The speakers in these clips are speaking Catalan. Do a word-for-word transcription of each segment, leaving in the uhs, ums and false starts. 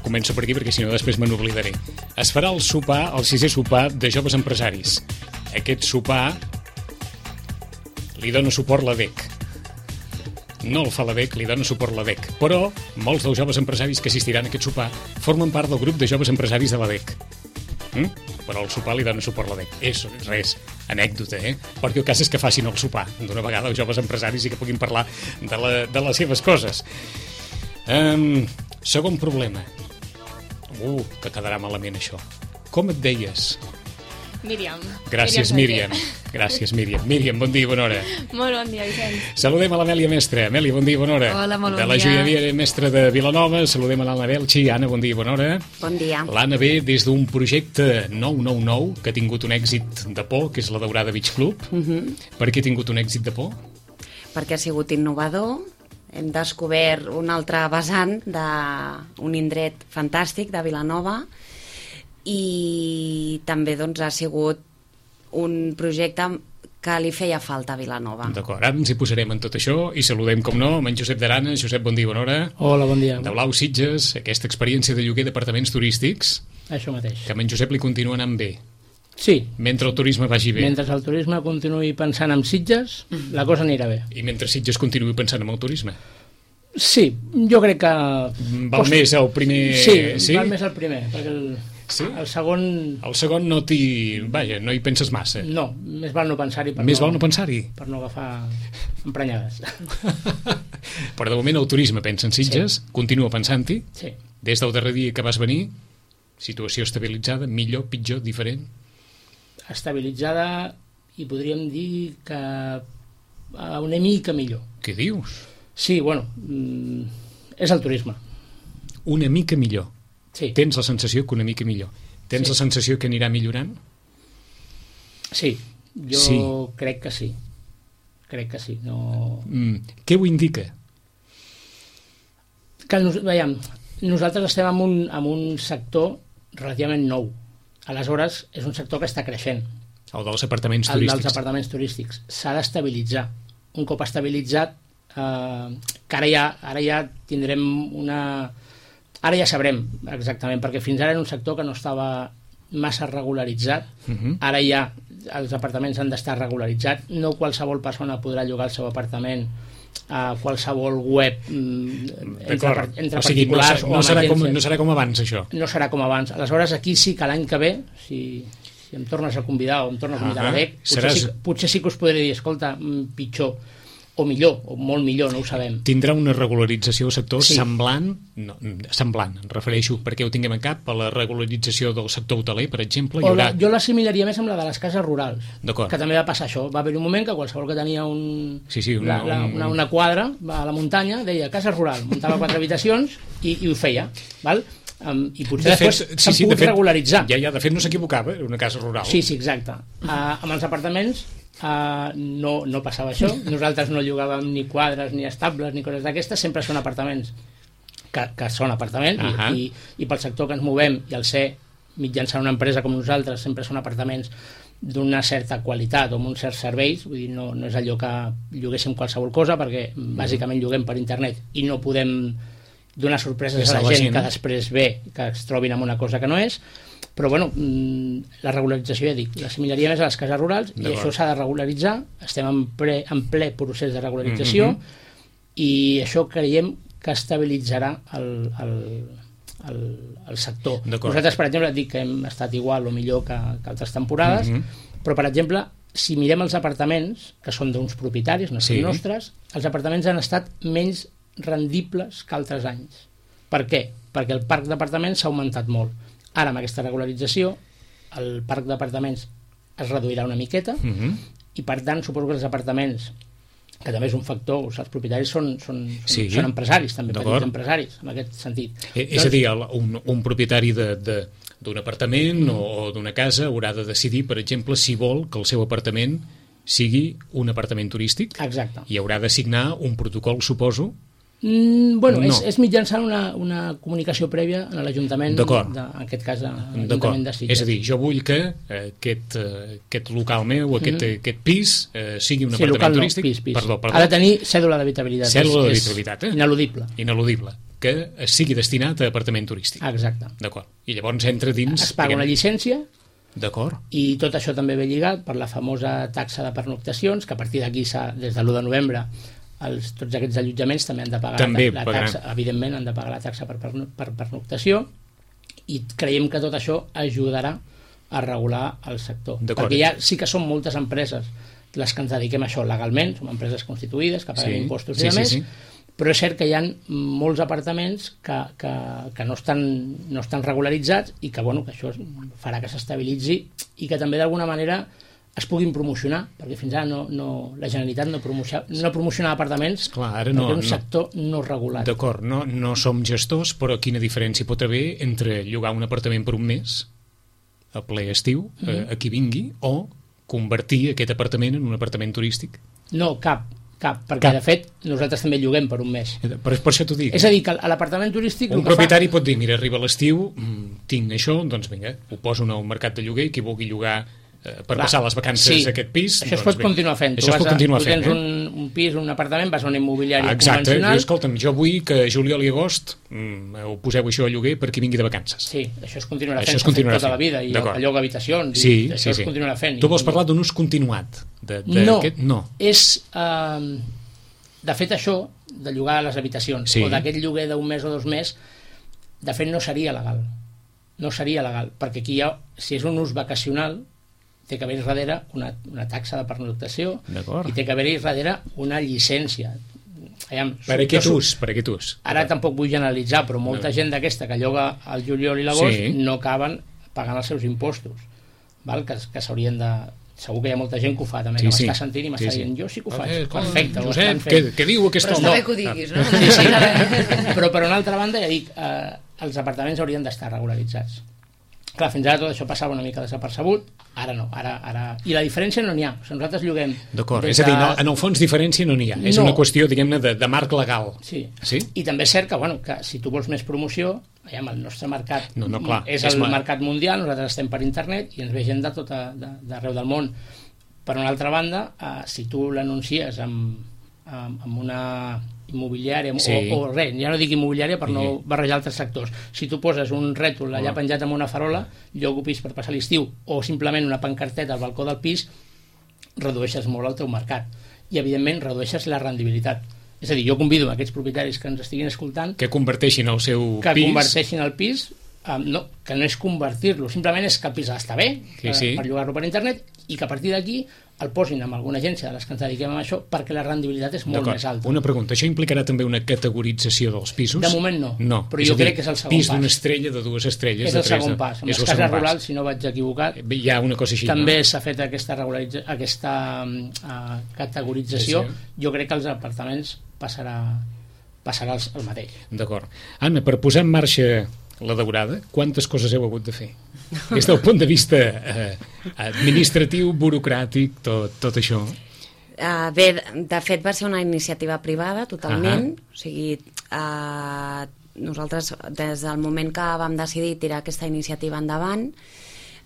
començo per aquí perquè si no després me n'oblidaré. Es farà el sopar, el sisè sopar de joves empresaris. Aquest sopar li dona suport la D E C. No el fa la D E C, li dona suport la D E C. Però molts dels joves empresaris que assistiran a aquest sopar formen part del grup de joves empresaris de la D E C. Mm? Però el sopar li dona suport la D E C. És res, anècdota, eh? Perquè el cas és que facin el sopar d'una vegada els joves empresaris i que puguin parlar de, la, de les seves coses. Um, segon problema. Uh, que quedarà malament això. Com et deies? Míriam. Gràcies, Míriam. Gràcies, Míriam. Míriam, bon dia i bona hora. Molt bon dia, Vicenç. Saludem a l'Amèlia Mestre. Amèlia, bon dia i bona hora. Hola, molt bon dia. De la joieria Mestre de Vilanova. Saludem a l'Anna Belchi. Anna, bon dia i bona hora. Bon dia. L'Anna ve des d'un projecte nou nou nou que ha tingut un èxit de por, que és la Daurada Beach Club. Uh-huh. Per què ha tingut un èxit de por? Perquè ha sigut innovador. Hem descobert un altre vessant d'un indret fantàstic de Vilanova i també doncs, ha sigut un projecte que li feia falta a Vilanova. D'acord, ara ens hi posarem en tot això i saludem, com no, amb en Josep d'Arana. Josep, bon dia i bona hora. Hola, bon dia. De Blau Sitges, aquesta experiència de lloguer d'apartaments turístics. Això mateix. Que amb en Josep li continua anant bé. Sí. Mentre el turisme vagi bé. Mentre el turisme continuï pensant en Sitges, la cosa anirà bé. I mentre Sitges continuï pensant en el turisme. Sí, jo crec que... Val Post... més el primer... Sí, sí, val més el primer, perquè el, sí? el segon... El segon no t'hi... Vaja, no hi penses massa. No, més val no pensar-hi. Més no, val no pensar-hi? Per no agafar emprenyades. Però de moment el turisme pensa en Sitges, sí. Continua pensant-hi. Sí. Des del darrer dia que vas venir, situació estabilitzada, millor, pitjor, diferent? Estabilitzada i podríem dir que una mica millor. Què dius? Sí, bueno, és el turisme. Una mica millor? Sí. Tens la sensació que una mica millor? Tens sí. La sensació que anirà millorant? Sí, jo sí. Crec que sí. Crec que sí. No... Mm, què ho indica? Que, veiem, nosaltres estem en un, en un sector relativament nou. Aleshores, és un sector que està creixent. El dels apartaments el turístics. El dels apartaments turístics. S'ha d'estabilitzar. Un cop estabilitzat, Uh, que ara ja, ara ja tindrem una... Ara ja sabrem exactament, perquè fins ara era un sector que no estava massa regularitzat. Uh-huh. Ara ja els apartaments han d'estar regularitzats. No qualsevol persona podrà llogar el seu apartament a qualsevol web entre, entre o sigui, particulars no, no, serà com, no serà com abans, això. No serà com abans. Aleshores, aquí sí que l'any que ve, si, si em tornes a convidar o em tornes a convidar uh-huh. a l'A D E C, potser, Seràs... sí, potser sí que us podré dir, escolta, pitjor o millor, o molt millor, no ho sabem. Tindrà una regularització del sector sí. semblant, no, semblant, em refereixo, perquè ho tinguem en cap, a la regularització del sector hoteler, per exemple. Hi haurà... la, jo l'assimilaria més amb la de les cases rurals, que també va passar això. Va haver un moment que qualsevol que tenia un, sí, sí, una, la, la, una, una quadra a la muntanya deia casa rural, muntava quatre habitacions i, i ho feia, val? Um, i potser de després s'han sí, sí, pogut de fet, regularitzar. Ja, ja, de fet no s'equivocava, era una casa rural. Sí, sí, exacte. Uh, amb els apartaments Uh, no, no passava això. Nosaltres no llogàvem ni quadres, ni estables, ni coses d'aquestes, sempre són apartaments que, que són apartaments uh-huh. i, i, i pel sector que ens movem i al ser mitjançant una empresa com nosaltres sempre són apartaments d'una certa qualitat o amb uns certs serveis, vull dir, no, no és allò que lloguéssim qualsevol cosa, perquè bàsicament lloguem per internet i no podem donar sorpreses a la, la gent, gent que després ve que es trobin amb una cosa que no és. Però bueno, la regularització ja dic, l'assimilaria més a les cases rurals i això s'ha de regularitzar, estem en, pre, en ple procés de regularització mm-hmm. i això creiem que estabilitzarà el, el, el, el sector. Nosaltres, per exemple, dic que hem estat igual o millor que, que altres temporades, mm-hmm. però per exemple, si mirem els apartaments, que són d'uns propietaris, no són sí. nostres, els apartaments han estat menys rendibles que altres anys. Per què? Perquè el parc d'apartaments s'ha augmentat molt. Ara, amb aquesta regularització, el parc d'apartaments es reduirà una miqueta uh-huh. i, per tant, suposo que els apartaments, que també és un factor, els propietaris són, són, sí. són empresaris, també petits empresaris, en aquest sentit. Eh, és doncs, a dir, un, un propietari de, de, d'un apartament mm. o d'una casa haurà de decidir, per exemple, si vol que el seu apartament sigui un apartament turístic. Exacte. I haurà de signar un protocol, suposo. Mm, bueno, no. és, és mitjançant una, una comunicació prèvia a l'Ajuntament, de, en aquest cas a l'Ajuntament de Sitges. És a dir, jo vull que eh, aquest, eh, aquest local meu, aquest, mm-hmm. aquest pis eh, sigui un sí, apartament turístic. No, pis, pis. Perdó, perdó. Ha de tenir cèdula d'habitabilitat. Cèdula d'habitabilitat, eh? Ineludible. Ineludible. que sigui destinat a apartament turístic. Exacte. D'acord. I llavors entra dins... Es paga una llicència. D'acord. I tot això també ve lligat per la famosa taxa de pernoctacions, que a partir d'aquí, des de l'u de novembre, els, tots aquests allotjaments també han de pagar també la, la taxa, evidentment han de pagar la taxa per, per, per pernoctació, i creiem que tot això ajudarà a regular el sector. Perquè ja sí que són moltes empreses les que ens dediquem a això legalment, som empreses constituïdes, que paguen sí, impostos i sí, demés, sí, sí. Però és cert que hi ha molts apartaments que, que, que no, estan, no estan regularitzats i que, bueno, que això farà que s'estabilitzi i que també d'alguna manera es puguin promocionar, perquè fins ara no, no, la Generalitat no, promociona, no promociona apartaments. Clar, ara no, perquè és un sector no, no regulat. D'acord, no, no som gestors, però quina diferència pot haver entre llogar un apartament per un mes a ple estiu, mm-hmm. a, a qui vingui, o convertir aquest apartament en un apartament turístic? No, cap. Cap, perquè Cap. de fet nosaltres també lloguem per un mes. Per, per això t'ho dic. És a dir, que a l'apartament turístic... Un propietari fa... pot dir, mira, arriba l'estiu, tinc això, doncs vinga, ho poso en el mercat de lloguer, qui vulgui llogar eh, per Clar, passar les vacances sí, a aquest pis... Això doncs, es pot bé. continuar fent. Això es pot continuar fent, tu tens eh? un, un pis, un apartament, vas a una immobiliària Exacte, convencional... Exacte, escolta'm, jo vull que juliol i agost mm, ho poseu això a lloguer per qui vingui de vacances. Sí, això es continuarà això fent, es continuarà tota fent. la vida, i el lloc habitacions, sí, i això sí, sí. es continuarà fent. Tu vols parlar d'un ús continuat? De, de no, aquest? no, és... Eh, de fet, això, de llogar a les habitacions, sí. o d'aquest lloguer d'un mes o dos mesos, de fet no seria legal. No seria legal, perquè aquí hi ha, si és un ús vacacional, té que haver-hi darrere una, una taxa de pernoctació i té que haver-hi darrere una llicència. Aviam, per aquest ús, per aquest ús. Ara tampoc vull generalitzar, però molta no. gent d'aquesta que lloga al juliol i l'agost sí. no acaben pagant els seus impostos, val? que, que s'haurien de... Segur que hi ha molta gent que ho fa també, sí, que m'està sentint i m'està sí, sí. dient jo sí que ho faig, okay, perfecte, Josep, què, què diu aquesta home? Però està bé que ho diguis, no? Sí, sí. Però per una altra banda, ja dic, eh, els apartaments haurien d'estar regularitzats. Clar, fins ara tot això passava una mica desapercebut, ara no, ara, ara... I la diferència no n'hi ha, o sigui, nosaltres lloguem... D'acord, és a dir, no, en el fons diferència no n'hi ha, és no. una qüestió, diguem-ne, de, de marc legal. Sí. sí, i també és cert que, bueno, que si tu vols més promoció, aviam, el nostre mercat no, no, clar, és el és mercat mundial, nosaltres estem per internet i ens ve gent de tot d'arreu del món. Per una altra banda, eh, si tu l'anuncies amb, amb, amb una immobiliària sí. o, o res, ja no dic immobiliària per sí. no barrejar altres sectors, si tu poses un rètol allà oh. penjat amb una farola, llogo pis per passar l'estiu, o simplement una pancarteta al balcó del pis, redueixes molt el teu mercat i evidentment redueixes la rendibilitat. És a dir, jo convido a aquests propietaris que ens estiguin escoltant que converteixin el seu que pis que converteixin el pis um, no, que no és convertir-lo, simplement és que el pis està bé sí, sí. per llogar-lo per internet i que a partir d'aquí el posin amb alguna agència de les que ens dediquem a això perquè la rendibilitat és molt més alta. Una pregunta, això implicarà també una categorització dels pisos? De moment no, no. però jo crec que és el segon pas. Pis d'una estrella, de dues estrelles, és de el tres, segon pas. En les cases rurals, si no vaig equivocat, hi ha una cosa així, també no? s'ha fet aquesta, aquesta uh, categorització. Sí, sí. Jo crec que els apartaments passarà, passarà el, el mateix. D'acord. Anna, per posar en marxa la daurada, quantes coses heu hagut de fer? Des del punt de vista eh, administratiu, burocràtic, tot, tot això. Uh, bé, de fet va ser una iniciativa privada totalment, uh-huh. o sigui, uh, nosaltres des del moment que vam decidir tirar aquesta iniciativa endavant,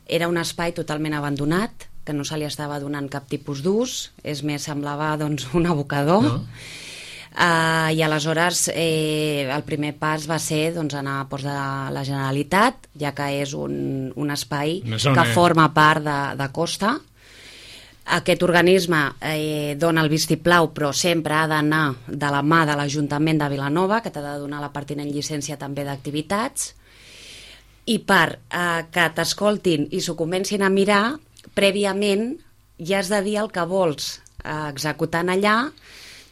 era un espai totalment abandonat, que no se li estava donant cap tipus d'ús, és més, semblava doncs, un abocador, no. Uh, i aleshores eh, el primer pas va ser doncs, anar a Ports de la Generalitat, ja que és un, un espai que forma part de, de Costa. Aquest organisme eh, dona el vistiplau, però sempre ha d'anar de la mà de l'Ajuntament de Vilanova, que t'ha de donar la pertinent llicència també d'activitats, i per eh, que t'escoltin i s'ho comencin a mirar, prèviament ja has de dir el que vols eh, executar allà,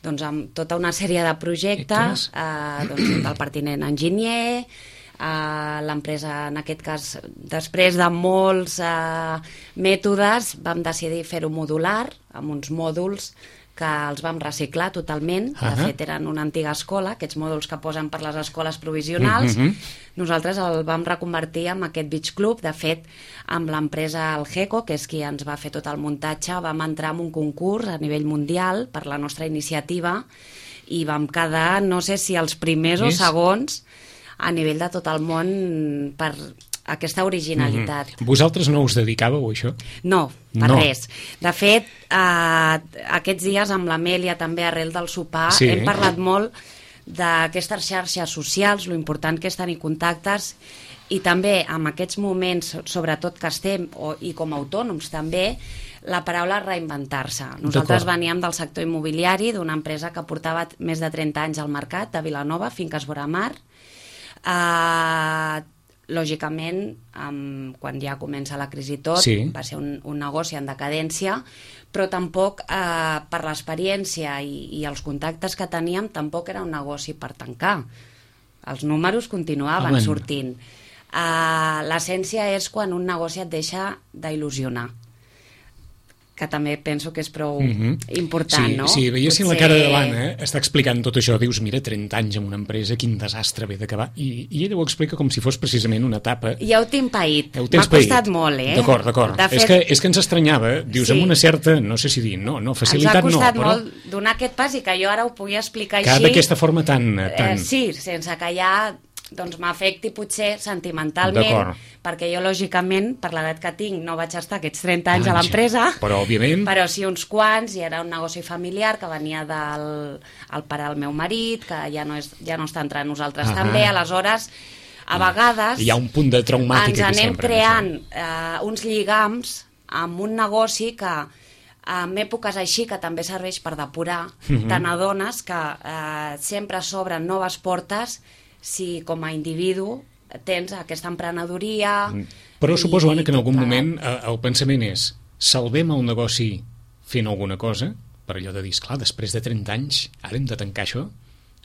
doncs amb tota una sèrie de projectes, eh, doncs, del pertinent enginyer, eh, l'empresa, en aquest cas, després de molts eh, mètodes, vam decidir fer-ho modular, amb uns mòduls que els vam reciclar totalment. Uh-huh. De fet, eren una antiga escola, aquests mòduls que posen per les escoles provisionals. Uh-huh. Nosaltres el vam reconvertir en aquest Beach Club. De fet, amb l'empresa Algeco, que és qui ens va fer tot el muntatge, vam entrar en un concurs a nivell mundial per la nostra iniciativa i vam quedar, no sé si els primers yes. o segons a nivell de tot el món per aquesta originalitat. Mm-hmm. Vosaltres no us dedicàveu a això? No, per no. res. De fet, eh, aquests dies amb l'Amèlia, també arrel del sopar, sí. hem parlat molt d'aquestes xarxes socials, lo important que és tenir contactes, i també en aquests moments, sobretot que estem, o, i com a autònoms també, la paraula reinventar-se. Nosaltres veníem del sector immobiliari, d'una empresa que portava més de trenta anys al mercat, de Vilanova, Finques Voramar. Uh, lògicament, um, quan ja comença la crisi tot, sí. va ser un, un negoci en decadència, però tampoc, uh, per l'experiència i, i els contactes que teníem, tampoc era un negoci per tancar. Els números continuaven Amen. sortint. Uh, l'essència és quan un negoci et deixa d'il·lusionar, que també penso que és prou mm-hmm. important, sí, no? Sí, veiessin Potser... la cara de l'Anna, eh? Està explicant tot això, dius, mira, trenta anys en una empresa, quin desastre ve d'acabar, i, i ella ho explica com si fos precisament una etapa... Ja ho tinc paït, m'ha costat molt, eh? D'acord, d'acord, fet... és, que, és que ens estranyava, dius, sí. amb una certa, no sé si dir, no, no, facilitat no, però... Ens ha costat molt donar aquest pas i que jo ara ho pugui explicar que així... d'aquesta forma tan... tan... Eh, sí, sense que ja... doncs m'afecti potser sentimentalment, perquè jo, lògicament, per l'edat que tinc, no vaig estar aquests trenta anys ah, a l'empresa, però, òbviament... però sí uns quants, i era un negoci familiar que venia del el pare del meu marit, que ja no, és, ja no està entre nosaltres ah, també, aleshores, a vegades... Hi ha un punt de traumàtica ens anem sempre, creant eh, uns lligams amb un negoci que en èpoques així, que també serveix per depurar, uh-huh. te n'adones que eh, sempre s'obren noves portes si com a individu tens aquesta emprenedoria... Però suposo, Anna, que en algun moment el pensament és salvem el negoci fent alguna cosa, per allò de dir, esclar, després de trenta anys ara hem de tancar això,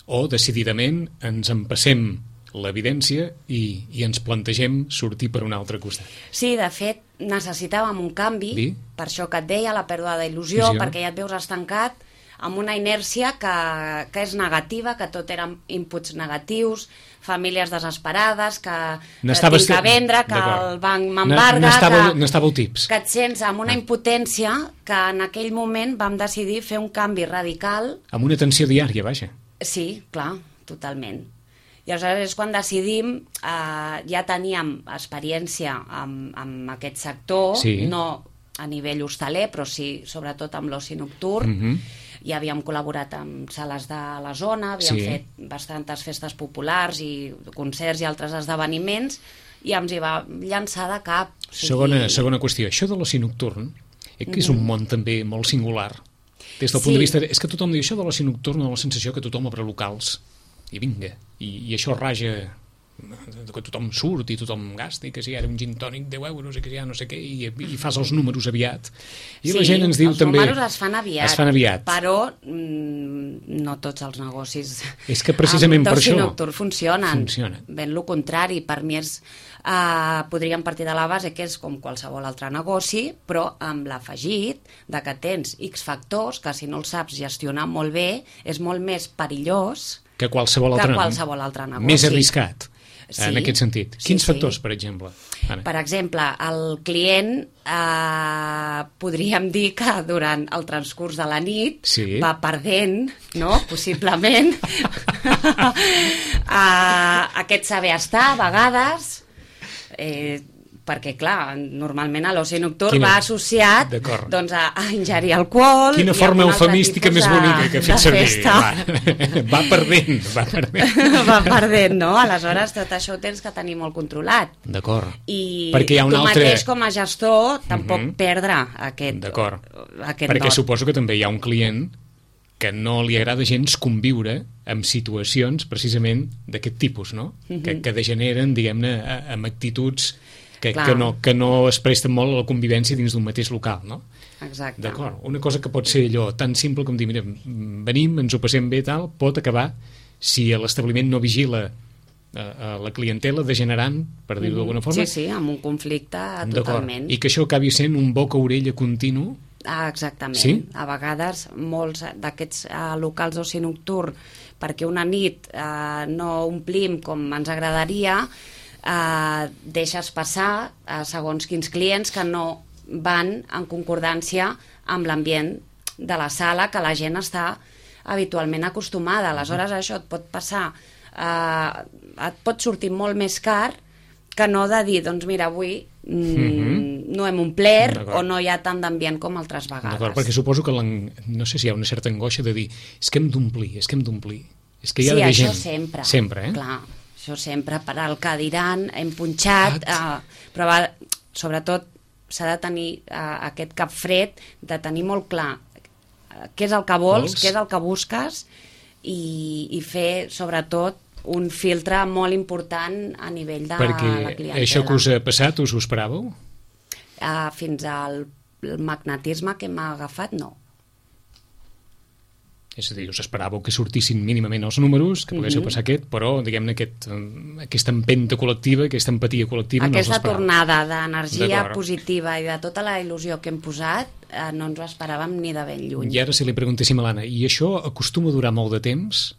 o decididament ens empassem l'evidència i, i ens plantegem sortir per un altre costat. Sí, de fet, necessitàvem un canvi, sí? Per això que et deia, la pèrdua d'il·lusió, sí, perquè ja et veus estancat amb una inèrcia que, que és negativa, que tot eren inputs negatius, famílies desesperades, que tinc que vendre, que el banc m'embarga, n'estàveu tips. Que et sents amb una impotència que en aquell moment vam decidir fer un canvi radical. Amb una tensió diària, vaja. Sí, clar, totalment. I aleshores és quan decidim, eh, ja teníem experiència amb, amb aquest sector, sí. no a nivell hostaler, però sí, sobretot amb l'oci nocturn, mm-hmm. ja havíem col·laborat amb sales de la zona, havíem sí. fet bastantes festes populars i concerts i altres esdeveniments, i ens hi va llançar de cap. O sigui... segona, segona qüestió, això de l'oci nocturn, eh, que és un món també molt singular, des del sí. punt de vista... És que tothom diu això de l'oci nocturn, la sensació que tothom obre locals, i vinga, i, i això raja... que tothom surt i tothom gasta, i que si ara un gin tònic deu euros i que si ja no sé què, i, i fas els números aviat, i sí, la gent ens diu els també... els números es fan aviat, es fan aviat. però mm, no tots els negocis és que precisament per això nocturn funcionen, funciona. Ben lo contrari, per mi és uh, podríem partir de la base que és com qualsevol altre negoci, però amb l'afegit de que tens X factors que si no els saps gestionar molt bé és molt més perillós que qualsevol altre, que qualsevol altre negoci, més arriscat. Sí, en aquest sentit. Quins sí, factors, sí. per exemple? Anna? Per exemple, el client eh, podríem dir que durant el transcurs de la nit sí. va perdent, no? Possiblement eh, aquest saber estar a vegades, eh, perquè clar, normalment a l'oci nocturn Quina... va associat doncs, a, a ingerir alcohol. Quina forma eufemística més bonica que ha fet servir. Va, va perdent, va perdent. Va perdent, no? Aleshores tot això ho tens que tenir molt controlat. D'acord. I perquè hi ha un tu altre... mateix com a gestor tampoc uh-huh. perdre aquest, aquest perquè dot. Suposo que també hi ha un client que no li agrada gens conviure amb situacions precisament d'aquest tipus, no? Uh-huh. Que, que degeneren, diguem-ne, amb actituds que, que, no, que no es presten molt a la convivència dins d'un mateix local, no? Exacte. D'acord. Una cosa que pot ser allò tan simple com dir, mira, venim, ens ho passem bé, tal, pot acabar, si l'establiment no vigila a, a la clientela, degenerant, per dir-ho d'alguna forma. Sí, sí, amb un conflicte totalment. I que això acabi sent un boca-orella continu. Ah, exactament. Sí? A vegades molts d'aquests uh, locals d'oci nocturn, perquè una nit uh, no omplim com ens agradaria, Uh, deixes passar uh, segons quins clients que no van en concordància amb l'ambient de la sala que la gent està habitualment acostumada. Aleshores això et pot passar, uh, et pot sortir molt més car que no de dir, doncs mira, avui mm, mm-hmm. no hem omplert o no hi ha tant d'ambient com altres vegades. D'acord, perquè suposo que no sé si hi ha una certa angoixa de dir és que hem d'omplir, és que hem d'omplir. És que hi ha sí, d'haver això gent. sempre. Sempre, eh? Clar, això sempre, per al cadirant, hem punxat, eh, però va, sobretot s'ha de tenir eh, aquest cap fred, de tenir molt clar eh, què és el que vols, vols? què és el que busques, i, i fer, sobretot, un filtre molt important a nivell de Perquè la clientela. això que us ha passat, us ho esperàveu? Uh, fins al magnetisme que m'ha agafat, no. És a dir, us esperàveu que sortissin mínimament els números, que poguéssiu Mhm. passar aquest, però, diguem-ne, aquest, eh, aquesta empenta col·lectiva, aquesta empatia col·lectiva, Aquesta no us l'esperàveu. tornada d'energia D'acord. positiva i de tota la il·lusió que hem posat, eh, no ens ho esperàvem ni de ben lluny. I ara si li preguntéssim a l'Anna, i això acostuma a durar molt de temps?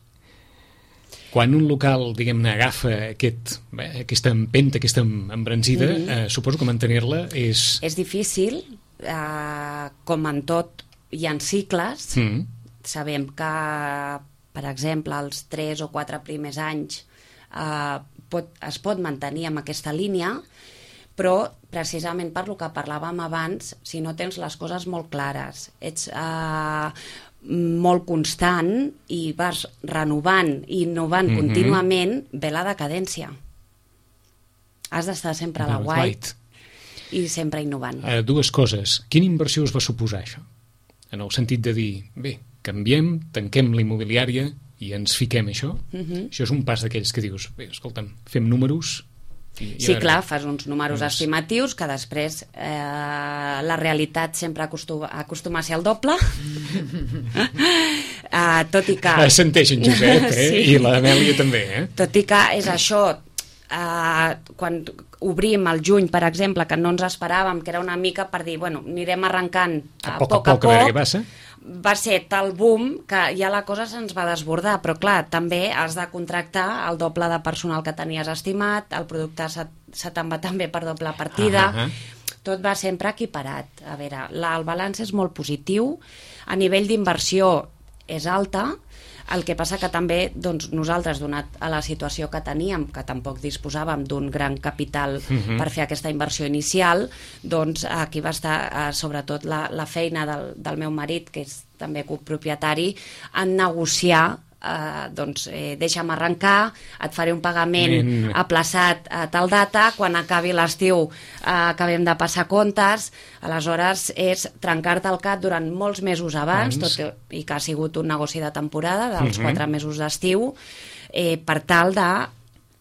Quan un local, diguem-ne, agafa aquest, bé, aquesta empenta, aquesta embranzida, Mhm. eh, suposo que mantenir-la és... És difícil, eh, com en tot hi ha cicles. Mm. Sabem que, per exemple, els tres o quatre primers anys eh, pot, es pot mantenir amb aquesta línia, però precisament per lo que parlàvem abans, si no tens les coses molt clares, ets eh, molt constant i vas renovant i innovant Mhm. contínuament, ve la decadència. Has d'estar sempre a la Well, white right. i sempre innovant. Uh, dues coses. Quina inversió us va suposar això? En el sentit de dir, bé, canviem, tanquem la immobiliària i ens fiquem a això? Mhm. Això és un pas d'aquells que dius, bé, escolta'm, fem números... I, i Sí, a veure, clar, fas uns números Doncs- estimatius que després eh, la realitat sempre acostuma, acostuma a ser el doble. eh, tot i que... Ah, senteix en Josep, eh? Sí. I l'Amèlia també, eh? Tot i que és això, eh, quan obrim el juny, per exemple, que no ens esperàvem, que era una mica per dir, bueno, anirem arrencant a, A poc a poc a poc, a veure poc, què passa. va ser tal boom que ja la cosa se'ns va desbordar, però clar, també has de contractar el doble de personal que tenies estimat, el producte se, se te'n va també per doble partida, Ah, ah. tot va sempre equiparat. A veure, la, el balanç és molt positiu, a nivell d'inversió és alta, el que passa que també doncs, nosaltres, donat a la situació que teníem, que tampoc disposàvem d'un gran capital Mhm. per fer aquesta inversió inicial, doncs aquí va estar eh, sobretot la, la feina del, del meu marit, que és també copropietari, en negociar eh, doncs, eh, deixa'm arrencar, et faré un pagament Mm. aplaçat a tal data, quan acabi l'estiu eh, acabem de passar comptes, aleshores és trencar-te el cap durant molts mesos abans, Abans. tot i que ha sigut un negoci de temporada, dels Mhm. quatre mesos d'estiu, eh, per tal de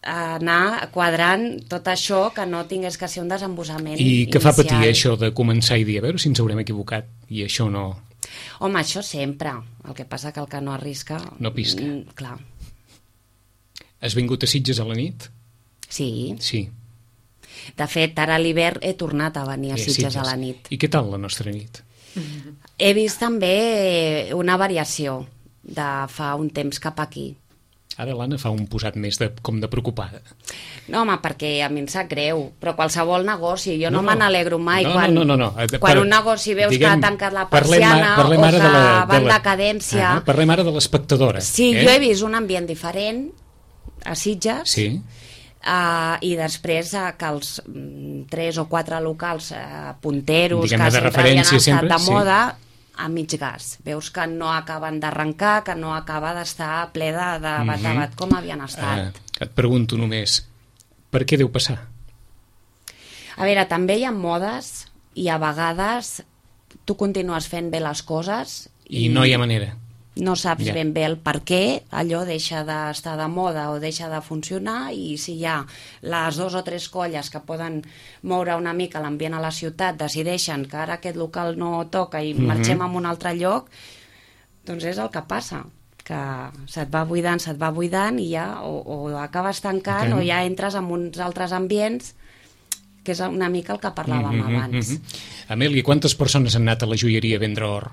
anar quadrant tot això, que no tingués que ser un desembossament I què fa patir inicial. això de començar i dir, a veure si ens haurem equivocat i això no... Home, això sempre. El que passa que el que no arrisca... No pisca. Mm, clar. Has vingut a Sitges a la nit? Sí. Sí. De fet, ara a l'hivern he tornat a venir a Eh, Sitges a la nit. I què tal la nostra nit? He vist també una variació de fa un temps cap aquí. Ara l'Anna fa un posat més de, com de preocupada. No, home, perquè a mi em sap greu, però qualsevol negoci, jo No, no, no. me n'alegro mai No, quan, no, no, no. Eh, quan per- un negoci veus diguem, que ha tancat la parlem persiana a- parlem o ara que de la- va de en la- decadència. Ah, parlem ara de l'espectadora. Sí, eh? jo he vist un ambient diferent a Sitges, Sí. Uh, i després uh, que els mm, tres o quatre locals uh, punteros Diguem-ne que de sempre havien referència, estat sempre, de sí. moda, a mig gas. Veus que no acaben d'arrencar, que no acaba d'estar ple de, de bat a Mhm. bat com havien estat. Eh, et pregunto només, per què deu passar? A veure, també hi ha modes i a vegades tu continues fent bé les coses I no hi ha manera. no saps Ja. ben bé el per què allò deixa d'estar de moda o deixa de funcionar, i si hi ha les dos o tres colles que poden moure una mica l'ambient a la ciutat, decideixen que ara aquest local no toca i Mhm. marxem a un altre lloc, doncs és el que passa, que se't va buidant, se't va buidant i ja o, o acabes tancant Ok. o ja entres en uns altres ambients, que és una mica el que parlàvem Mhm, abans. mhm. Amèlia, quantes persones han anat a la joieria a vendre or?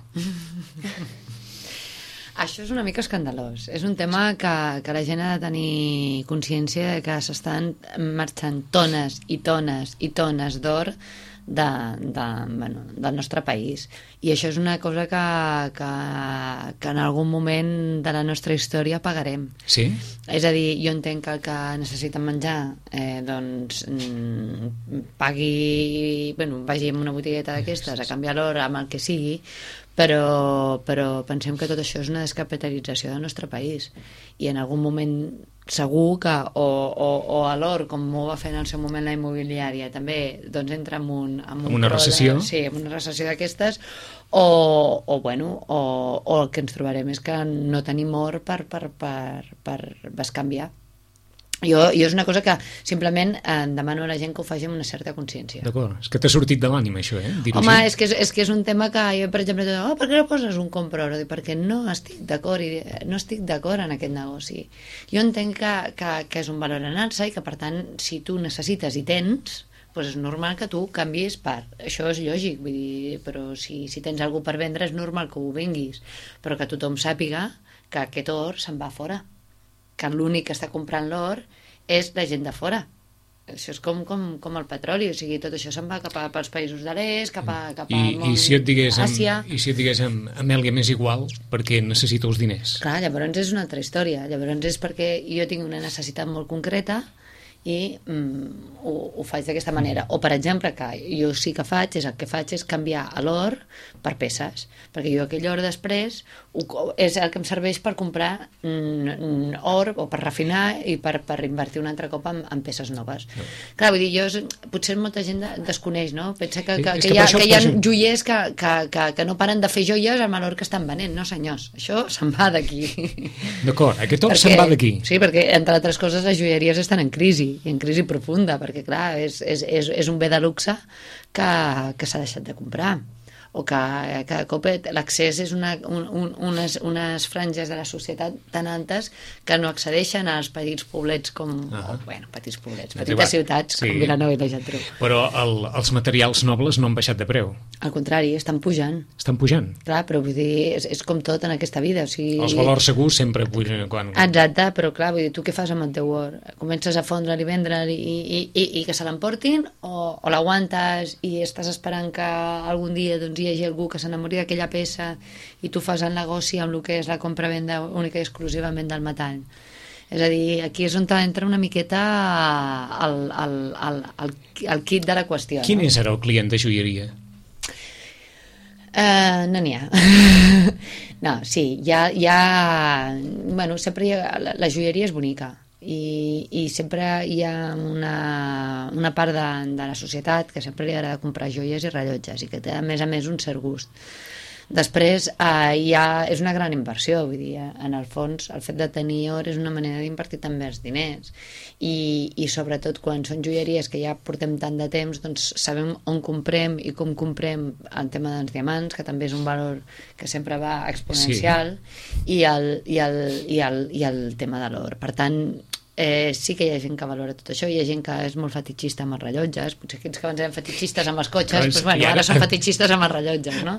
Això és una mica escandalós. És un tema que, que la gent ha de tenir consciència de que s'estan marxant tones i tones i tones d'or de, de, bueno, del nostre país. I això és una cosa que, que, que en algun moment de la nostra història pagarem. Sí? És a dir, jo entenc que el que necessiten menjar eh, doncs mm, pagui, bueno, vagi a una botigueta d'aquestes a canviar l'or amb el que sigui, però, però pensem que tot això és una descapitalització del nostre país i en algun moment segur que o, o, o a l'or, com ho va fer en el seu moment la immobiliària, també doncs entra en, un, en un una recessió de, sí, en una recessió d'aquestes o, o, bueno, o, o el que ens trobarem és que no tenim or per, per, per, per bescanviar. Jo, jo és una cosa que simplement eh, demano a la gent que ho faci amb una certa consciència. D'acord, és que t'ha sortit de l'ànima això, eh? Dir-ho Home, així. és que és, és que és un tema que jo, per exemple, dic, oh, per què no poses un compra oro? Dic, perquè no estic d'acord i no estic d'acord en aquest negoci. Jo entenc que, que, que és un valor en alça i que, per tant, si tu necessites i tens, doncs és normal que tu canviïs per... Això és lògic, vull dir, però si, si tens alguna per vendre és normal que ho venguis, però que tothom sàpiga que aquest or se'n va fora, que l'únic que està comprant l'or és la gent de fora. Això és com, com, com el petroli, o sigui, tot això se'n va cap a, pels països de l'est, cap a, cap a I, i si et digués Àsia. Amb, i si et digués amb Amèlia m'és igual perquè necessita els diners? Clar, llavors és una altra història. Llavors és perquè jo tinc una necessitat molt concreta i mm, ho, ho faig d'aquesta manera. O, per exemple, que jo sí que faig, és el que faig és canviar l'or per peces, perquè jo aquell or després ho, és el que em serveix per comprar mm, or o per refinar i per, per invertir un altre cop en, en peces noves. No. Clar, vull dir, jo, potser molta gent desconeix, no? Pensa que, que, que, que, hi ha, que hi ha joiers que, que, que, que no paren de fer joies amb l'or que estan venent. No, senyors, això se'n va d'aquí. D'acord, aquest or se'n va d'aquí. Sí, perquè, entre altres coses, les joieries estan en crisi i en crisi profunda, perquè clar, és, és, és, és un bé de luxe que, que s'ha deixat de comprar, o que cada cop l'accés és una, un, un, unes, unes franges de la societat tan altes que no accedeixen als petits poblets com, uh-huh. o, bueno, petits poblets, petites Arribat. ciutats sí. com Vilanova i la Geltrú. Però el, els materials nobles no han baixat de preu. Al contrari, estan pujant. Estan pujant. Clar, però vull dir, és, és com tot en aquesta vida. O sigui... Els valors segurs sempre pugen quan... Exacte, però clar, vull dir, tu què fas amb el teu or? Comences a fondre'l i vendre'l i, i, i, i que se l'emportin o, o l'aguantes i estàs esperant que algun dia doncs, hi hagi algú que s'enamori d'aquella peça i tu fas el negoci amb el que és la compra-venda única i exclusivament del metall. És a dir, aquí és on entra una miqueta el, el, el, el, el kit de la qüestió. Quin no? és ara el client de joieria? Uh, no n'hi ha. No, sí, hi ha... Hi ha bueno, sempre hi ha, la, la joieria és bonica. I, i sempre hi ha una, una part de, de la societat que sempre li agrada comprar joies i rellotges i que té a més a més un cert gust. Després eh, hi ha, és una gran inversió, vull dir, en el fons el fet de tenir or és una manera d'invertir també els diners i, i sobretot quan són joieries que ja portem tant de temps, doncs sabem on comprem i com comprem el tema dels diamants, que també és un valor que sempre va exponencial, sí. i, el, i, el, i, el, i el tema de l'or. Per tant, Eh, sí que hi ha gent que valora tot això, hi ha gent que és molt fetitxista amb els rellotges, potser aquells que abans eren fetitxistes amb els cotxes, doncs, doncs, bueno, ara són fetitxistes amb els rellotges, no?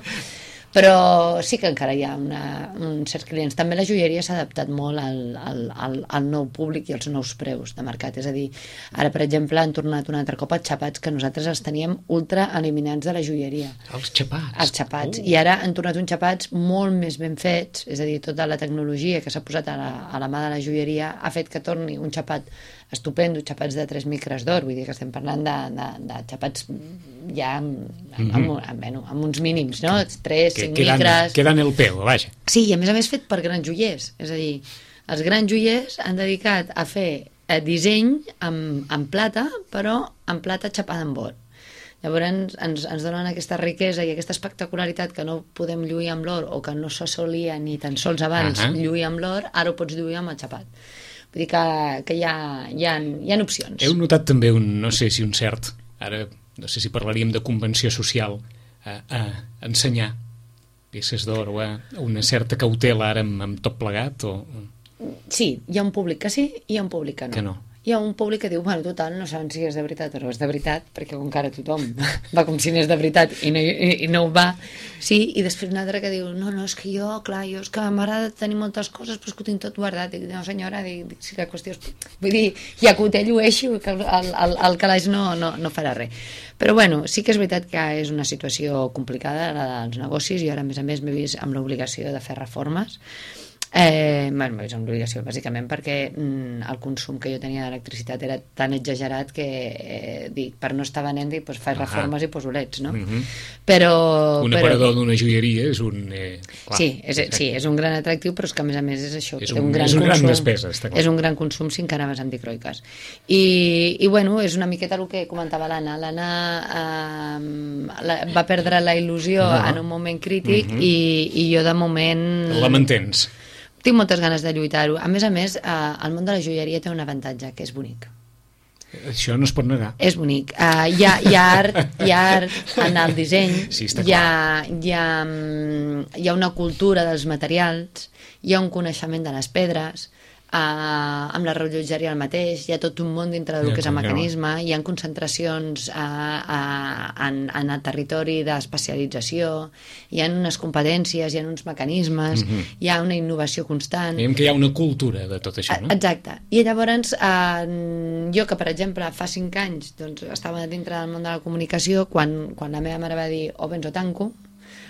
Però sí que encara hi ha una, uns certs clients. També la joieria s'ha adaptat molt al, al, al, al nou públic i als nous preus de mercat. És a dir, ara, per exemple, han tornat un altre cop els xapats, que nosaltres els teníem ultra eliminats de la joieria. Els xapats? Els xapats. Oh. I ara han tornat uns xapats molt més ben fets, és a dir, tota la tecnologia que s'ha posat a la, a la mà de la joieria ha fet que torni un xapat estupendo, xapats de tres micres d'or, vull dir que estem parlant de, de, de xapats ja amb, amb, amb, amb, bueno, amb uns mínims, no? tres, cinc micres... Queden el peu, vaja. Sí, i a més a més fet per grans joiers, és a dir, els grans joiers han dedicat a fer eh, disseny amb, amb plata, però amb plata xapada amb or. Llavors ens, ens donen aquesta riquesa i aquesta espectacularitat que no podem lluir amb l'or o que no s'assolia ni tan sols abans uh-huh. lluir amb l'or, ara ho pots lluir amb el xapat. Vull dir que, que hi, ha, hi, ha, hi ha opcions. Heu notat també un, no sé si un cert, ara no sé si parlaríem de convenció social, a, a ensenyar peces d'or o a una certa cautela ara amb, amb tot plegat? O... Sí, hi ha un públic que sí i hi ha un públic que no. Que no. Hi ha un públic que diu, bueno, total, no saben si és de veritat o no és de veritat, perquè encara tothom va com si n'és de veritat i no, i, i no ho va, sí, i després un altre que diu, no, no, és que jo, clar, jo és que m'agrada tenir moltes coses, però és que ho tinc tot guardat. Dic, no, senyora, dic, si la qüestió és... Vull dir, ja que ho té, llueixi, que el, el, el calaix no, no, no farà res. Però, bueno, sí que és veritat que és una situació complicada, la dels negocis, i ara, a més a més, m'he vist amb l'obligació de fer reformes. Eh, bueno, és una obligació, bàsicament, perquè mm, el consum que jo tenia d'electricitat era tan exagerat que, eh, dic, per no estar venent, dic, doncs faig reformes i poso leds, no? Mm-hmm. Però... Un però... aparador d'una joieria és un... Eh, clar, sí, és, sí, és un gran atractiu, però és que a més a més és això. És té un, un gran és un gran consum, despesa, està clar. És un gran consum si encara vas anticroiques. I, i bueno, és una miqueta el que comentava l'Anna. L'Anna eh, la, va perdre la il·lusió no. en un moment crític mm-hmm. i, i jo de moment... La mantens? Tinc moltes ganes de lluitar-ho. A més a més, eh, el món de la joieria té un avantatge, que és bonic. Això no es pot negar. És bonic. Uh, hi, ha, hi, ha art, hi ha art en el disseny, sí, està hi, ha, hi, ha, hi ha una cultura dels materials, hi ha un coneixement de les pedres, uh, amb la rellotgeria el mateix, hi ha tot un món dintre del ja, que és el mecanisme, hi ha concentracions uh, uh, en, en el territori d'especialització, hi ha unes competències, hi ha uns mecanismes, mm-hmm. hi ha una innovació constant. Veiem que hi ha una cultura de tot això, no? Exacte. I llavors, uh, jo que, per exemple, fa cinc anys doncs, estava dintre del món de la comunicació, quan, quan la meva mare va dir o vens o tanco,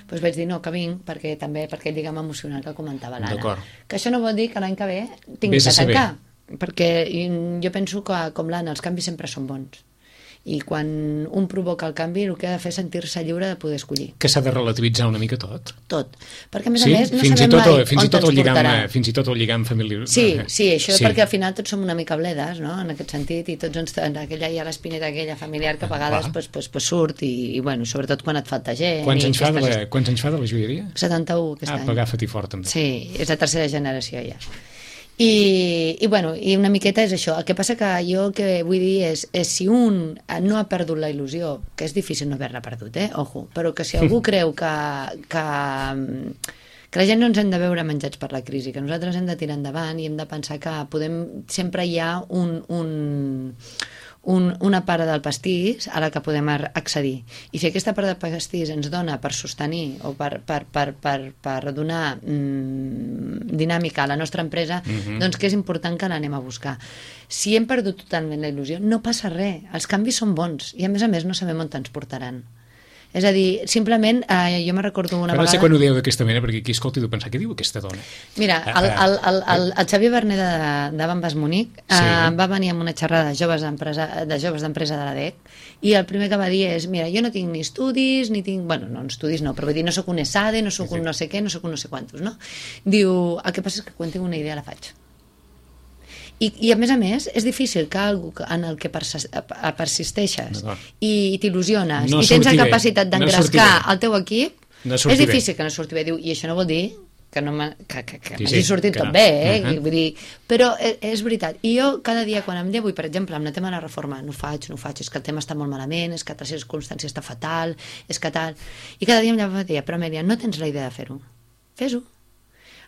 doncs vaig dir no, que vinc, perquè també per aquell lligam emocional que comentava l'Anna. Que això no vol dir que l'any que ve tingui que tancar, perquè jo penso que, com l'Anna, els canvis sempre són bons. I quan un provoca el canvi, el que ha de fer és sentir-se lliure de poder escollir. Que s'ha de relativitzar una mica tot. Tot. Perquè, a més sí? a més, no fins sabem tot, mai fins on i tot ens lligam, portarà. Fins i tot el lligam familiar. Sí, sí, això sí. perquè al final tots som una mica bledes, no?, en aquest sentit, i tots ens, en aquella hi ha l'espineta aquella familiar que a vegades pues, pues, pues surt, i, i bueno, sobretot quan et falta gent. Quants, i anys fa, de la, estàs... quants anys fa de la joieria? setanta-u aquest ah, any. Ah, agafa-t'hi fort, també. Sí, és la tercera generació ja. I, i, bueno, i una miqueta és això. El que passa que jo el que vull dir és, és si un no ha perdut la il·lusió, que és difícil no haver-la perdut, eh? Ojo, però que si algú creu que, que, que la gent no ens hem de veure menjats per la crisi, que nosaltres hem de tirar endavant i hem de pensar que podem, sempre hi ha un... un Un, una part del pastís a la que podem accedir. I si aquesta part del pastís ens dona per sostenir o per, per, per, per, per donar mm, dinàmica a la nostra empresa, mm-hmm. doncs que és important que l'anem a buscar. Si hem perdut totalment la il·lusió, no passa res. Els canvis són bons i, a més a més, no sabem on ens portaran. És a dir, simplement, eh, jo me recordo una Però vegada... no sé quan ho dieu d'aquesta manera, perquè aquí escolti tu pensar, què diu aquesta dona? Mira, el, el, el, el, el Xavier Berner de, de Bambas Munic eh, sí. va venir amb una xerrada de joves d'empresa de joves d'empresa de la D E C i el primer que va dir és, mira, jo no tinc ni estudis, ni tinc... Bueno, no, estudis no, però vull dir, no sóc un ESADE, no sóc sí, sí. un no sé què, no sóc un no sé quantos, no? Diu, el que passa és que quan tinc una idea la faig. I, i a més a més és difícil que algú en el que persisteixes i t'il·lusiones no i tens la capacitat d'engrescar no el teu equip, no és difícil bé. Que no surti bé. Diu, i això no vol dir que no que, que, que sí, sí, sortit que tot no. bé, eh? Uh-huh. Vull dir, però és, és veritat. I jo cada dia quan em llevo, i per exemple amb el tema de la reforma, no ho faig, no ho faig, és que el tema està molt malament, és que la circumstància està fatal, és que tal, i cada dia em llevo i dia, però Amèlia, no tens la idea de fer-ho, fes-ho.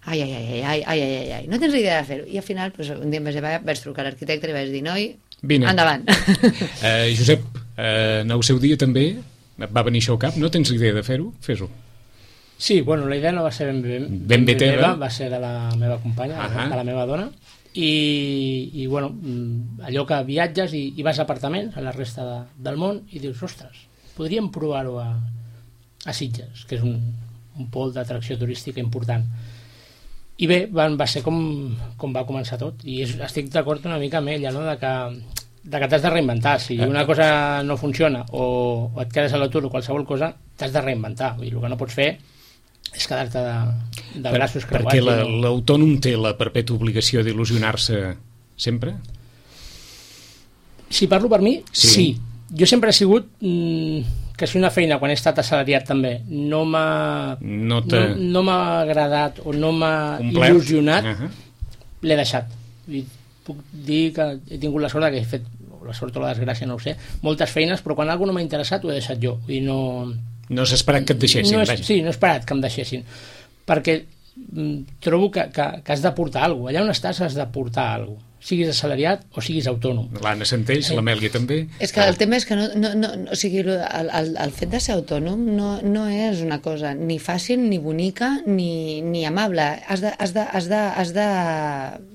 Ai, ai, ai, ai, ai, ai, ai, ai, no tens idea de fer-ho. I al final, doncs, un dia em vaig, vaig trucar a l'arquitecte i vaig dir, noi, Vine. Endavant. Uh, Josep, uh, en el seu dia també va venir això al cap, no tens idea de fer-ho? Fes-ho. Sí, bueno, la idea no va ser ben bé, ben, ben bé teva, meva, va ser de la meva companya, uh-huh. de la meva dona, i, i bueno, allò que viatges i, i vas a apartaments a la resta de, del món i dius, ostres, podríem provar-ho a, a Sitges, que és un, un pol d'atracció turística important. I bé, van, va ser com, com va començar tot, i és, estic d'acord una mica amb ella, no? de que, de que t'has de reinventar. Si una cosa no funciona o, o et quedes a l'atur o qualsevol cosa, t'has de reinventar. Vull dir, el que no pots fer és quedar-te de, de braços creuats. Perquè la, no... l'autònom té la perpètua obligació d'il·lusionar-se sempre? Si parlo per mi, sí. sí. Jo sempre he sigut... Mm, que si una feina, quan he estat assalariat també, no m'ha no, te... no, no m'ha agradat o no m'ha il·lusionat, uh-huh. l'he deixat. I puc dir que he tingut la sort que he fet, la sort o la desgràcia, no ho sé, moltes feines, però quan alguna no m'ha interessat ho he deixat jo. I no... No has esperat que et deixessin. No és, sí, no he esperat que em deixessin. Perquè mm, trobo que, que, que has de portar alguna cosa. Allà on estàs has de portar alguna cosa. siguis assalariat o siguis autònom. L'Anna Senteix, eh? l'Amèlia també. És que el tema és que no, no, no, o sigui, el, el, el fet de ser autònom no, no és una cosa ni fàcil, ni bonica, ni, ni amable. Has de, has de, has de, has de,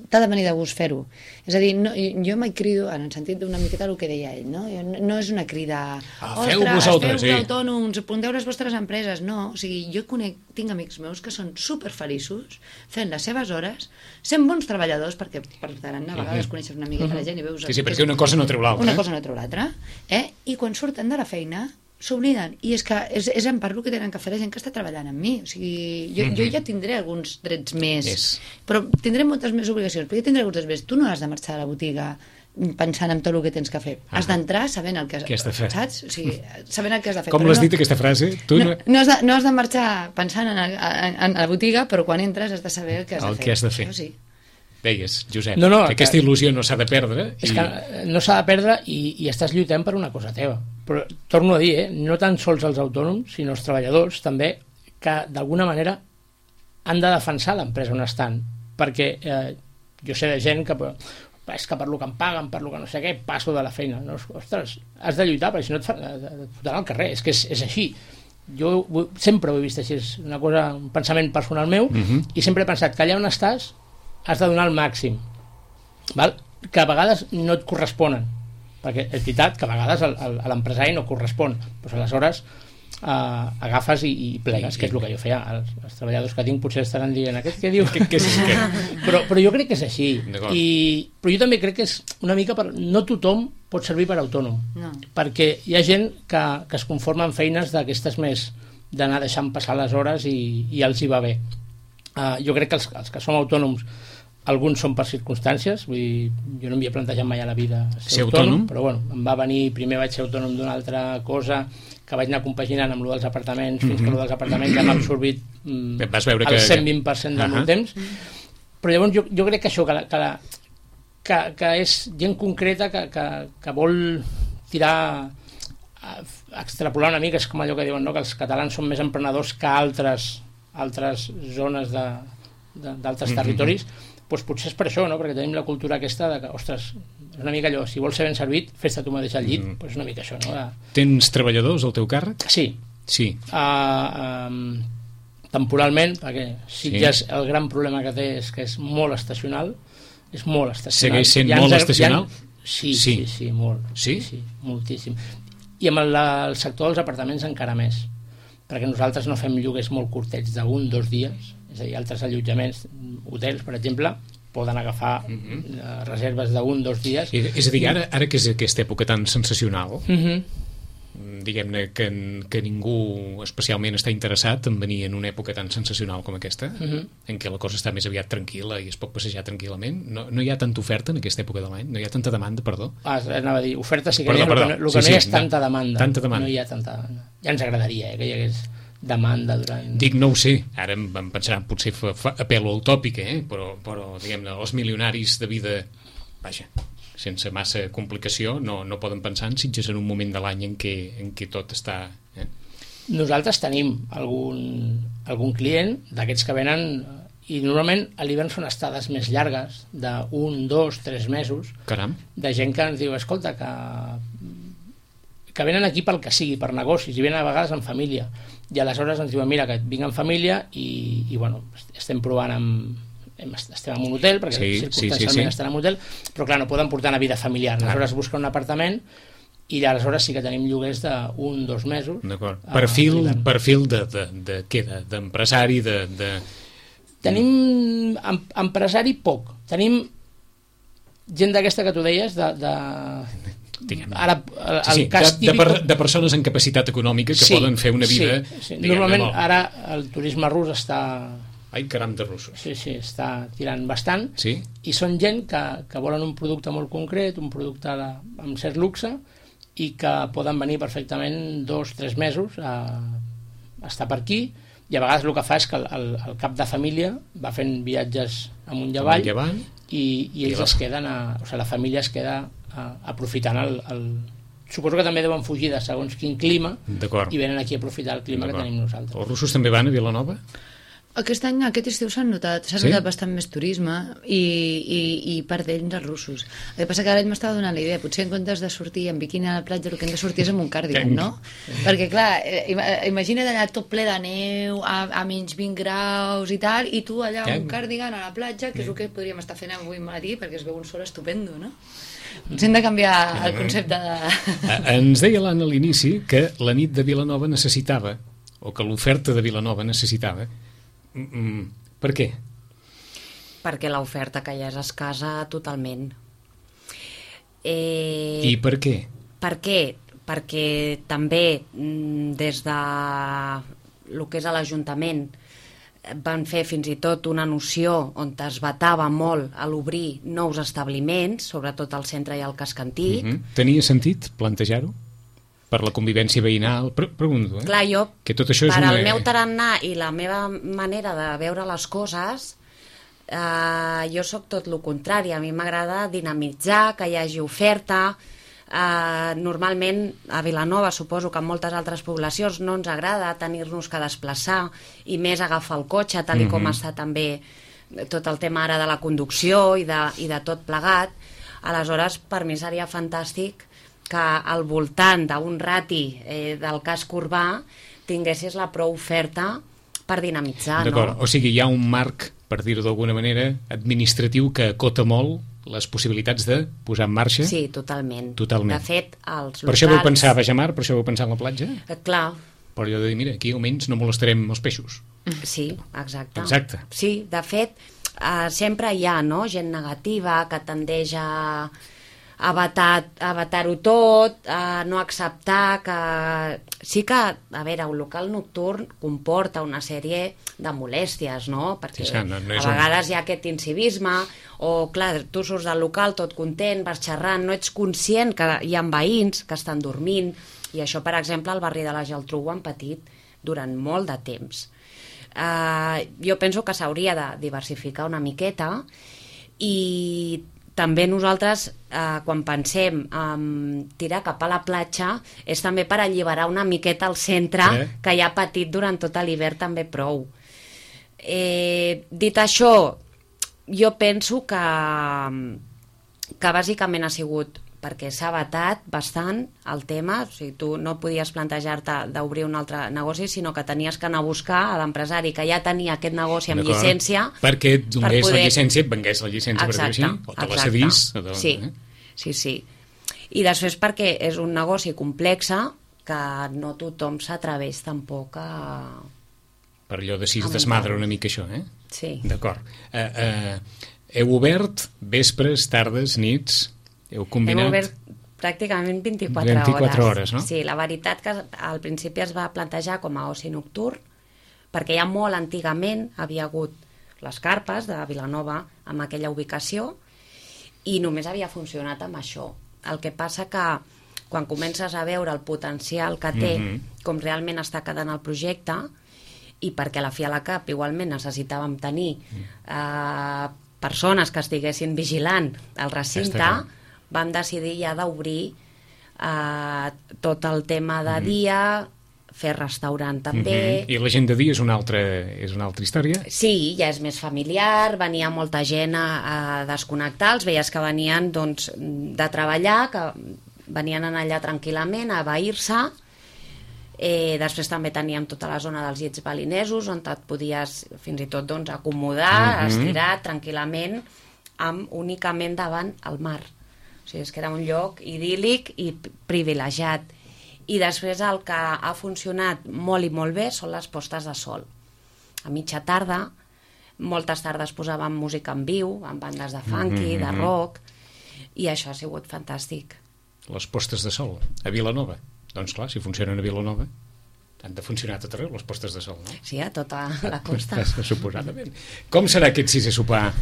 t'ha de venir de gust fer-ho. És a dir, no, jo mai crido, en el sentit d'una miqueta el que deia ell, no? No, no és una crida, ah, feu vosaltres, feu autònoms, apunteu les vostres empreses, no. O sigui, jo conec, tinc amics meus que són superfeliços fent les seves hores, sent bons treballadors, perquè per tarannà a vegades coneixes una miqueta la gent i veus... Sí, sí, perquè una cosa no treu l'altra. Una cosa no treu l'altra. Eh? I quan surten de la feina s'obliden, i és que és, és en part el que tenen que fer la gent que està treballant amb mi. O sigui, jo, mm-hmm. jo ja tindré alguns drets més, yes. però tindré moltes més obligacions, però jo tindré alguns drets més. Tu no has de marxar a la botiga pensant en tot el que tens que fer. Ah. Has d'entrar sabent el que has, has de fer. Saps? O sigui, sabent el que has de fer. Com l'has no, dit, aquesta frase? Tu no, no, has de, no has de marxar pensant en, el, en, en la botiga, però quan entres has de saber el que has el de fer. Que has de fer. Això sí. Deies, Josep, no, no, que aquesta il·lusió no s'ha de perdre. És i... que no s'ha de perdre i, i estàs lluitant per una cosa teva. Però torno a dir, eh, no tan sols els autònoms, sinó els treballadors també, que d'alguna manera han de defensar l'empresa on estan. Perquè eh, jo sé de gent que és que per lo que em paguen, per lo que no sé què, passo de la feina. No, ostres, has de lluitar, perquè si no et fotran al carrer. És que és, és així. Jo sempre ho he vist així, és una cosa, un pensament personal meu, uh-huh. i sempre he pensat que allà on estàs has de donar el màxim, val? Que a vegades no et corresponen, perquè és veritat que a vegades el, el, a l'empresari no correspon, doncs aleshores eh, agafes i, i plegues, que és el que jo feia. Els, els treballadors que tinc potser estaran dient aquest què diu, que, que és, que... però, però jo crec que és així. I, però jo també crec que és una mica per... no tothom pot servir per autònom, no. perquè hi ha gent que, que es conforma amb feines d'aquestes més d'anar deixant passar les hores i, i els hi va bé. Uh, jo crec que els, els que som autònoms alguns són per circumstàncies, vull dir, jo no m'hi he plantejat mai a la vida ser, ser autònom, autònom, però bueno, em va venir, primer vaig ser autònom d'una altra cosa que vaig anar compaginant amb lo dels apartaments, mm-hmm. fins que lo dels apartaments ja m'ha absorbit mm, vas veure el que... cent vint per cent del uh-huh. meu temps, però llavors jo, jo crec que això, que, la, que, la, que, que és gent concreta que, que, que vol tirar, extrapolar una mica, és com allò que diuen, no? Que els catalans són més emprenedors que altres altres zones de, de, d'altres mm-hmm. territoris, doncs potser és per això, no? Perquè tenim la cultura aquesta de que, ostres, és una mica allò, si vols ser ben servit, fes-te tu mateix al llit, mm. doncs una mica això, no? De... Tens treballadors al teu càrrec? Sí. Sí. Uh, um, temporalment, perquè Sitges sí. el gran problema que té és que és molt estacional, és molt estacional. Segueix sent molt ha, estacional? Ha, sí, sí, sí, sí, molt. Sí? Sí, moltíssim. I amb el, el sector dels apartaments encara més, perquè nosaltres no fem lloguers molt curtets d'un, dos dies, és a dir, altres allotjaments, hotels, per exemple, poden agafar uh-huh. reserves d'un, dos dies. I, és a dir, ara, ara que és aquesta època tan sensacional, uh-huh. diguem-ne que, que ningú especialment està interessat en venir en una època tan sensacional com aquesta, uh-huh. en què la cosa està més aviat tranquil·la i es pot passejar tranquil·lament, no, no hi ha tanta oferta en aquesta època de l'any, no hi ha tanta demanda, perdó. Ah, anava a dir, oferta sí que perdó, hi ha, perdó. el que, no, el que sí, no hi ha és tanta no, demanda. Tanta demanda. No hi ha tanta demanda. Ja ens agradaria eh, que hi hagués demanda durant... Dic, no ho sé, ara em, em pensaran potser fa, fa, apel·lo al tòpic, eh? però, però diguem-ne, els milionaris de vida, vaja, sense massa complicació, no, no poden pensar en Sitges en un moment de l'any en què, en què tot està... Eh? Nosaltres tenim algun, algun client d'aquests que venen, i normalment a l'hivern són estades més llargues, d'un, dos, tres mesos. Caram. De gent que ens diu, escolta, que, que venen aquí pel que sigui, per negocis, i venen a vegades en família. I aleshores ens diuen, mira, que vinc en família i, i bueno, estem provant amb... estem en un hotel, perquè sí, circumstancialment sí, sí, sí. estan en un hotel, però clar, no poden portar una vida familiar. Aleshores busquen un apartament i aleshores sí que tenim lloguers d'un, dos mesos. D'acord. Perfil, uh, perfil de, de, de, què, de, d'empresari, de, de... Tenim em, empresari poc. Tenim gent d'aquesta que tu deies, de... de... Diguem, ara, el, sí, sí, el cas de, típic... de, per, de persones amb capacitat econòmica que sí, poden fer una vida... Sí, sí. Normalment molt... ara el turisme rus està... Ai, caram de russos. Sí, sí, està tirant bastant. Sí? I són gent que, que volen un producte molt concret, un producte de, amb cert luxe, i que poden venir perfectament dos, tres mesos a, a estar per aquí, i a vegades el que fa és que el, el, el cap de família va fent viatges amunt i avall, avall i, i ells I es queden a, o sigui, la família es queda a, aprofitant el, el... Suposo que també deuen fugir de segons quin clima i venen aquí a aprofitar el clima que tenim nosaltres. Els russos també van a Vilanova? Aquest any, aquest estiu s'ha notat, s'ha Sí? notat bastant més turisme i, i, i part d'ells els russos. El que passa que ara ell m'estava donant la idea, potser en comptes de sortir en biquini a la platja el que hem de sortir és amb un cardigan, no? Perquè clar, eh, ima- imagina't allà tot ple de neu, a, a menys vint graus i tal, i tu allà amb un cardigan a la platja, que és el que podríem estar fent avui matí perquè es veu un sol estupendo, no? Ens hem de canviar el concepte de... Eh, Ens deia l'Anna a l'inici que la nit de Vilanova necessitava, o que l'oferta de Vilanova necessitava. Mm, mm, per què? Perquè l'oferta que hi ha és escassa totalment. Eh, I per què? Per què? Perquè també mm, des de el que és a l'Ajuntament van fer fins i tot una noció on es vetava molt a l'obrir nous establiments, sobretot al centre i al casc antic. Mm -hmm. Tenia sentit plantejar-ho? Per la convivència veïnal? Pre pregunto, eh? Clar, jo, que tot això és per una... al meu tarannà i la meva manera de veure les coses, eh, jo sóc tot el contrari. A mi m'agrada dinamitzar, que hi hagi oferta. Eh, normalment a Vilanova, suposo que en moltes altres poblacions no ens agrada tenir-nos que desplaçar i més agafar el cotxe, tal i com Mhm. està també tot el tema ara de la conducció i de, i de tot plegat. Aleshores, per mi seria fantàstic que al voltant d'un rati eh, del casc urbà tinguessis la prou oferta per dinamitzar, D'acord, no? o sigui, hi ha un marc, per dir-ho d'alguna manera, administratiu que acota molt les possibilitats de posar en marxa? Sí, totalment. Totalment. De fet, els Per això vau locals... pensar a Bajamar, per això vau pensar en la platja? Eh, clar, Per allò de dir, mira, aquí almenys no molestarem els peixos. sí, exacte. Exacte. Sí, de fet, eh, sempre hi ha, no?, gent negativa que tendeix a a vetar, a vetar-ho tot, a no acceptar que... Sí que, a veure, un local nocturn comporta una sèrie de molèsties, no? Perquè Sí, sí, no- no és a un- vegades hi ha aquest incivisme, o, clar, tu surts del local tot content, vas xerrant, no ets conscient que hi ha veïns que estan dormint, i això, per exemple, al barri de la Geltrú ho han patit durant molt de temps. Uh, jo penso que s'hauria de diversificar una miqueta, i també nosaltres, eh, quan pensem en tirar cap a la platja, és també per alliberar una miqueta el centre, Eh? que ja ha patit durant tot l'hivern també prou. Eh, dit això, jo penso que, que bàsicament ha sigut perquè s'ha vetat bastant el tema, o sigui, tu no podies plantejar-te d'obrir un altre negoci, sinó que tenies que anar a buscar a l'empresari que ja tenia aquest negoci amb llicència, perquè et donés per poder- la llicència, et vengués la llicència, per dir-ho així, o te la exacte. cedís. o te- Sí, eh? sí, sí. I després perquè és un negoci complex que no tothom s'atreveix tampoc a... Per allò de si es Amb desmadra un una mica això, eh? Sí. D'acord. Eh, eh, heu obert vespres, tardes, nits? Heu combinat? Hem obert pràcticament vint-i-quatre, vint-i-quatre hores. hores, no? Sí, la veritat que al principi es va plantejar com a oci nocturn, perquè ja molt antigament havia hagut les carpes de Vilanova amb aquella ubicació i només havia funcionat amb això. El que passa que quan comences a veure el potencial que té, Mhm. com realment està quedant el projecte, i perquè a la fi a la cap igualment necessitàvem tenir eh, persones que estiguessin vigilant el recinte, Està clar. vam decidir ja d'obrir eh, tot el tema de dia, fer restaurant també. Mhm. I la gent de dia és una altra, és una altra història? Sí, ja és més familiar, venia molta gent a, a desconnectar, els veies que venien doncs, de treballar, que venien anar allà tranquil·lament a abair-se. Eh, després també teníem tota la zona dels llits balinesos on et podies fins i tot doncs, acomodar, Mhm. estirar tranquil·lament amb únicament davant el mar. O sigui, és que era un lloc idíl·lic i privilegiat. I després el que ha funcionat molt i molt bé són les postes de sol. A mitja tarda, moltes tardes posàvem música en viu, amb bandes de funky, Mhm, de mhm. rock, i això ha sigut fantàstic. Les postes de sol, a Vilanova. Doncs clar, si funcionen a Vilanova, han de funcionar a tot arreu, les postes de sol, no? Sí, a tota la costa. Suposadament. Com serà aquest sisè sopar?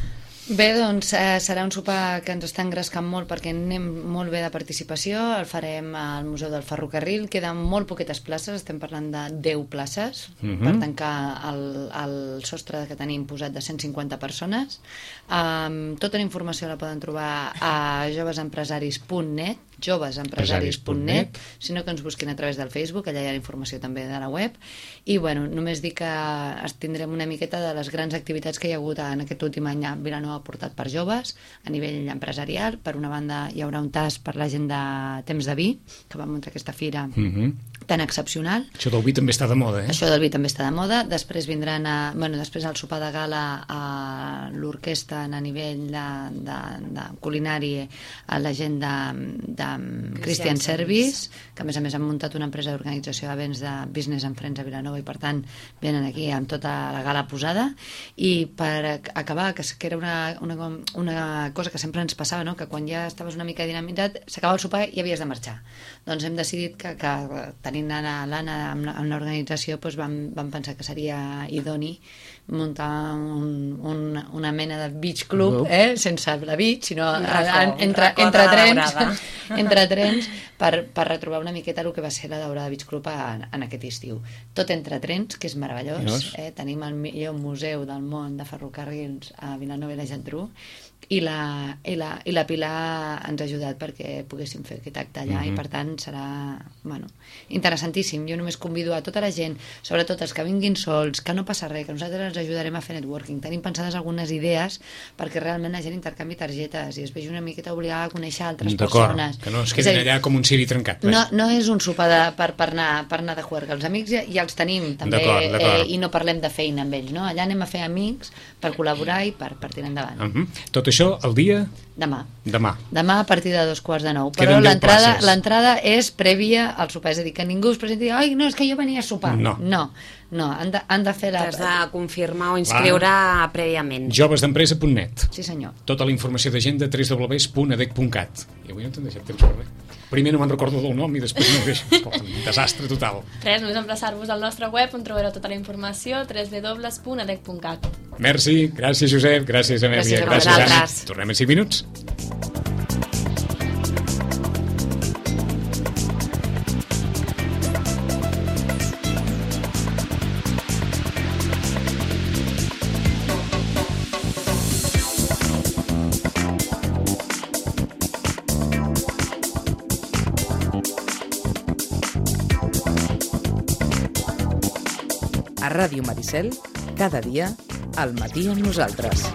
Bé, doncs eh, serà un sopar que ens està engrescant molt perquè anem molt bé de participació, el farem al Museu del Ferrocarril, queden molt poquetes places, estem parlant de deu places Mhm. per tancar el, el sostre que tenim posat de cent cinquanta persones. Um, tota la informació la poden trobar a jovesempresaris punt net joves empresaris punt net, sinó que ens busquin a través del Facebook, allà hi ha la informació també de la web, i bueno, només dir que es tindrem una miqueta de les grans activitats que hi ha hagut en aquest últim any a Vilanova portat per joves, a nivell empresarial. Per una banda hi haurà un tas per la gent de Temps de Vi, que va muntar aquesta fira mm-hmm. tan excepcional. Això del vi també està de moda, eh? Això del vi també està de moda. Després vindran a, bueno, després al sopar de gala a l'orquestra a nivell de, de, de culinari a la gent de, de Christian Service, que a més a més han muntat una empresa d'organització d'events de Business and Friends a Vilanova i per tant venen aquí amb tota la gala posada. I per acabar, que era una, una, una cosa que sempre ens passava, no? Que quan ja estaves una mica dinamitat s'acaba el sopar i havies de marxar. Doncs hem decidit que, que tenint l'Anna amb l'organització doncs vam, vam pensar que seria idoni muntar un, un, una mena de beach club, eh? Sense la beach, sinó racó, entre, entre trens, entre trens per, per retrobar una miqueta el que va ser la Daurada Beach Club en, en aquest estiu. Tot entre trens, que és meravellós. Eh? Tenim el millor museu del món de ferrocarrils a Vilanova i la Geltrú, i la, i, la, i la Pilar ens ha ajudat perquè poguéssim fer aquest acte allà, mm-hmm. i per tant serà, bueno, interessantíssim. Jo només convido a tota la gent, sobretot els que vinguin sols, que no passa res, que nosaltres ens ajudarem a fer networking. Tenim pensades algunes idees perquè realment la gent intercanvi targetes i es vegi una miqueta obligada a conèixer altres persones. Que no es quedin allà com un ciri trencat. No, no és un sopar de, per, per, anar, per anar de juerga. Els amics ja, ja els tenim també, d'acord, d'acord. Eh, i no parlem de feina amb ells, no? Allà anem a fer amics per col·laborar i per, per tirar endavant. Uh-huh. Tot això el dia? Demà. Demà. Demà a partir de dos quarts de nou. Però l'entrada l'entrada és prèvia al sopar, és a dir, que ningú es presenti i ai, no, és que jo venia a sopar. No. No, no han, de, han de fer la... T'has de confirmar o inscriure ah. prèviament. Jovesdempresa punt net. Sí, senyor. Tota la informació d'agenda w w w punt adec punt cat. I avui no t'han deixat temps per res. Primer no me'n recordo del nom i després no ho deixo. Escolta, un desastre total. Res, només emplaçar-vos al nostre web on trobareu tota la informació, w w w punt adec punt cat. Merci, gràcies Josep, gràcies Amèlia, gràcies, gràcies Anna. Tornem en cinc minuts. A Ràdio Maricel, cada dia, al matí amb nosaltres.